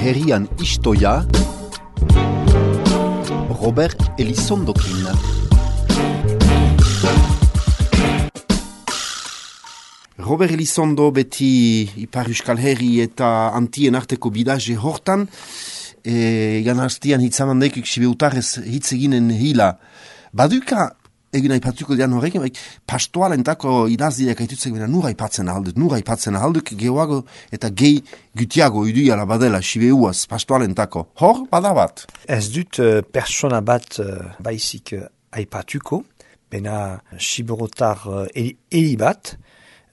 herrian istoia, Robert Elizondokin. Robert Elizondo beti Ipar Euskal Herri eta Antien arteko bidaje hortan, egan hastian hitzamandaikik sibeutarrez hitz eginen hila. Baduka, egin aipatuko dian horrekin, pastoalentako idazdiak aitutzek bera nura ipatzen ahalduk, geoago eta gehi gutiago iduiala badela sibeuaz pastoalentako. Hor, badabat? Ez dut persona bat baizik aipatuko, bena siberotar heli bat,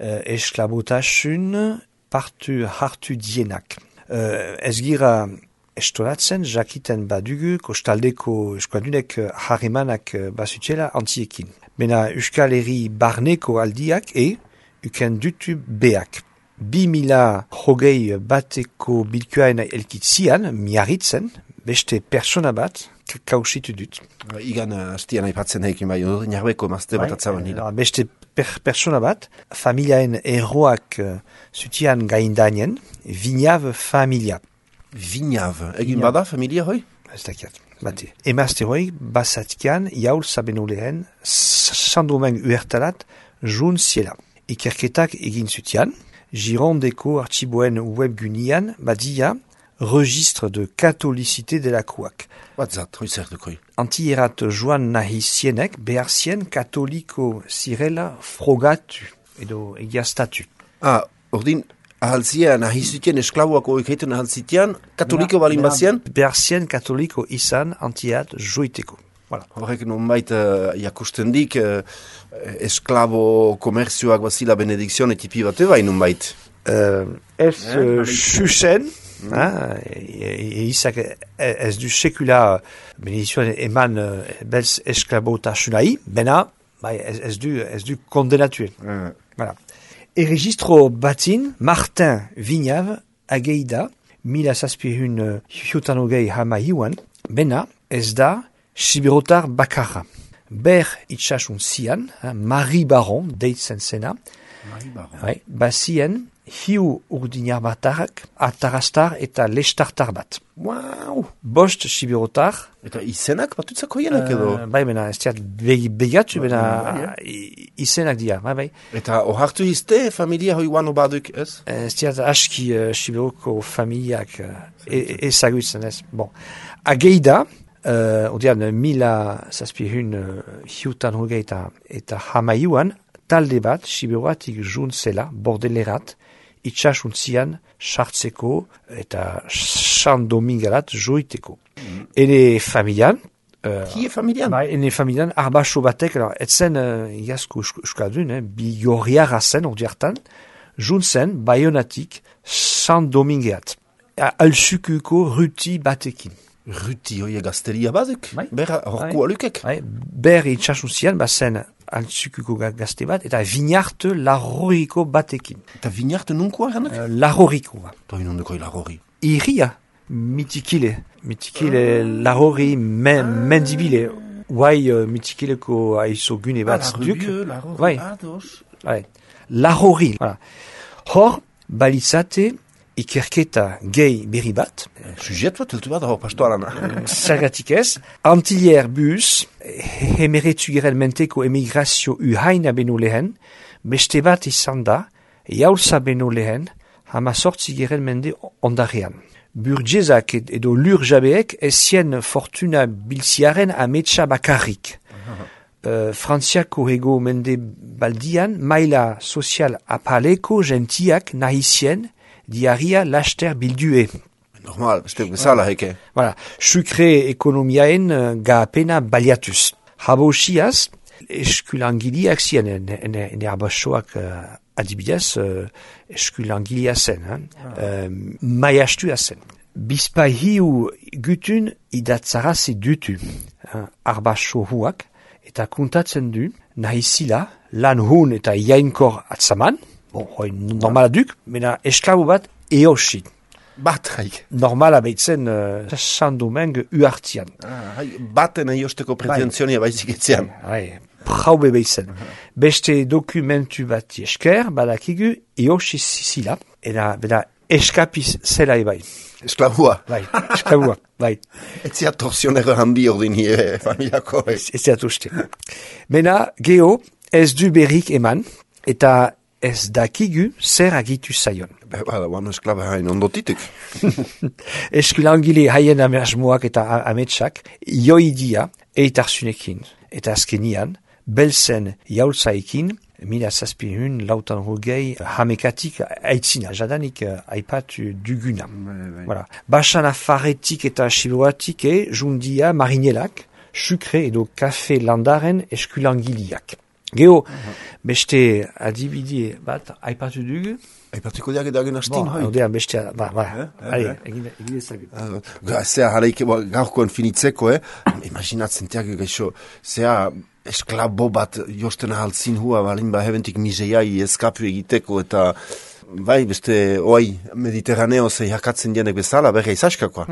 esklabotasun partu hartu dienak. Ez gira estolatzen, jakiten badugu, kostaldeko eskualdunek harremanak bazutela antiekin. Bena Euskal Herri barneko aldiak uken dutu beak. 2000 bateko bilkuaen elkitzian, miarritzen, beste persona bat, kausitu dut. Igan hastian aipatzen heikin bai, narbeko mazte bat atzaban nila. Beste persona bat, familiaen erroak zutian gaindanien, Vignav familia. Vignav, egin bada familia hoi? Ez dakiat, bate. Emazte hoi, basatkian, jaul sabeno lehen, sandomen uertalat, jun ziela. Ikerketak egin zutian, Girondeko archiboen webgunian, badia, registre de catholicité de la Kouak. Batzat, hoi zer dukoi? Antierat joan nahi zienek, behar zien katoliko zirela frogatu, edo egiaztatu. Ordin, ahaltzien, ahizutien esklaboako egiten ahaltzitean, katoliko balin bazien? Behar zien katoliko izan antiat joiteko. Voilà. Horrek nonbait jakusten dik esklabo komerzioak bazila benedikzion etipi bate bai nonbait? Xuxen, izak ez du sekula benedikzioan eman belz esklabotasunai, bena ez du kondenatuen. Voilà. Registro batin, Martin Vignav, ageida, 1700 hiutanogei hamaiuan, bena ez da siberotar bakarra. Ber itxasun zian, Marie Baron, deitzen zena, bazien hiu urdinar batarrak, atarastar eta lestartar bat. Wow! Bost siberotar. Eta izenak batutzako hienak edo? Bai, bena, ez diat begatu, bena izenak dia, bai. Eta ohartu izte familia hoi guano baduk, ez? Ez diat aski siberoko familiak ezagutzen, ez. Bon, ageida, odian, 1700 hiutan hogeita eta hamaiuan, talde bat, siberoatik juntzela, bordelerat, itxasuntzian, sartzeko eta sandomingalat joiteko. Ene familian, Kie familian? Ene familian, arbaso batek, etzen iazko euskaldun, bigorriara zen, ordiartan, juntzen, baionatik, sandomingeat. Alsukuko ruti batekin. Ruti hoi gazteria baduk? Berra horko alukek? Ber itxasuntzian, bazen altsukuko gazte bat, eta vignarte larroriko batekin. Eta vignarte nunkoa ganak? Larroriko. Toi nondekoi larrori? Iria, mitikile larrori mendibile. Guai mitikileko aizo gune bat duk. Larrori, ados. Larrori. Hor, balitzate, ikerketa gehi berri bat. Sujet bat, eltu bat, hor pastoalana. Zergatik ez, Antilier bus, hemeretu gerelmenteko emigrazio uhaina beno lehen, beste bat izan da, jaulza beno lehen, hamazortzi gerelmende ondarean. Burgezak edo lur jabeek ezien fortuna bilziaren ametsa bakarrik. Frantziako ego mende baldian, maila sozial apaleko gentiak nahizien, diaria laster bildue. Normal, beste bezala heke. Voilà, sukre ekonomiaen gapena baliatuz. Habosiaz, eskulangiliak zien, ene abasoak adibidez, eskulangilia zen, maiastua zen. Bizpai hiu gutun idatzarazi dutu, arbaso huak, eta kuntatzen du, nahizila, lan hun eta iainkor atzaman, hoi normala duk, mena esklabo bat eosit. Bat, haik. Normala behitzen sandomeng uartian. Baten aiosteko pretenzionia baizik etzean. Praube behitzen. Beste dokumentu bat esker, badakigu eosit zila, eta eskapiz zela ebai. Esklavua. Bai, esklavua, bai. Etzia torsionero handi ordin hie familiako. Ez dut uste. Mena, geho, ez du berrik eman, eta ez dakigu zer agitu zaion. Bada, bano esklaba hain ondotitek. Eskulangile haien asmoak eta ametsak, joidia eitarzunekin. Eta azkenian, belzen jaultzaikin, 1760 hamekatik aitzina, jadanik aipatu duguna. Voilà. Basan afaretik eta siboatik jundia marinelak, sukre edo kafe landaren eskulangiliak. Geho, beste adibide bat aipatu dugu? Aipatuko diak edagen hastin, hoi? Odean beste, egin ezagut. Zea, haleik gaurkoen finitzeko, imaginatzen tiak gaixo, zea, esklabo bat josten ahaltzin hua, balin hebentik miseiai eskapu egiteko, eta bai, beste, Mediterraneo zei hakatzen dienek bezala, berra izaskakoa.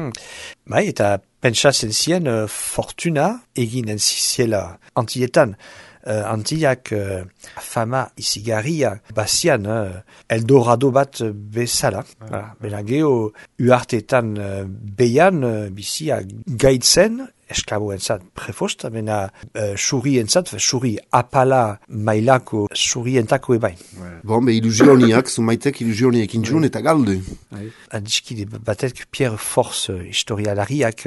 Bai, eta pentsatzen zien fortuna eginen ziziela Antilletan. Antillak fama izigarria bazian Eldorado bat bezala. Bena geho uartetan behan bizia gaitzen, esklaboentzat prefost, bena suri apala mailako surientako ebain. Bon, ilusioniak, zumaitek ilusioniak intzun eta galdu. Adizkide batek Pierre Force historialariak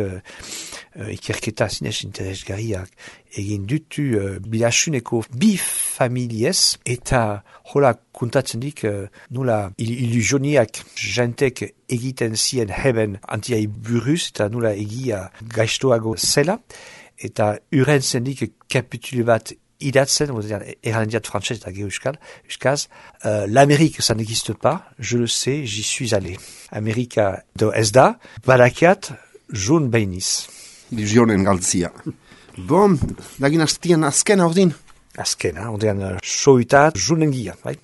ikerketa zinez interesgarriak egin dutu bilasuneko bi familiez eta hola kontatzen dik nula ilusioniak jentek egiten zien heben antiai buruz eta nula egia gaiztoago zela eta uren zendik kapitule bat idatzen, errandiat frantzez eta euskaz, l'Amérique ça n'existe pas, je le sais, j'y suis allé. Amerika do ez da, badakiat, jun beiniz. Ilusionen galtzia. Bon, dagin hastian azkena ordin? Azkena, ordean soitat junengia, bai?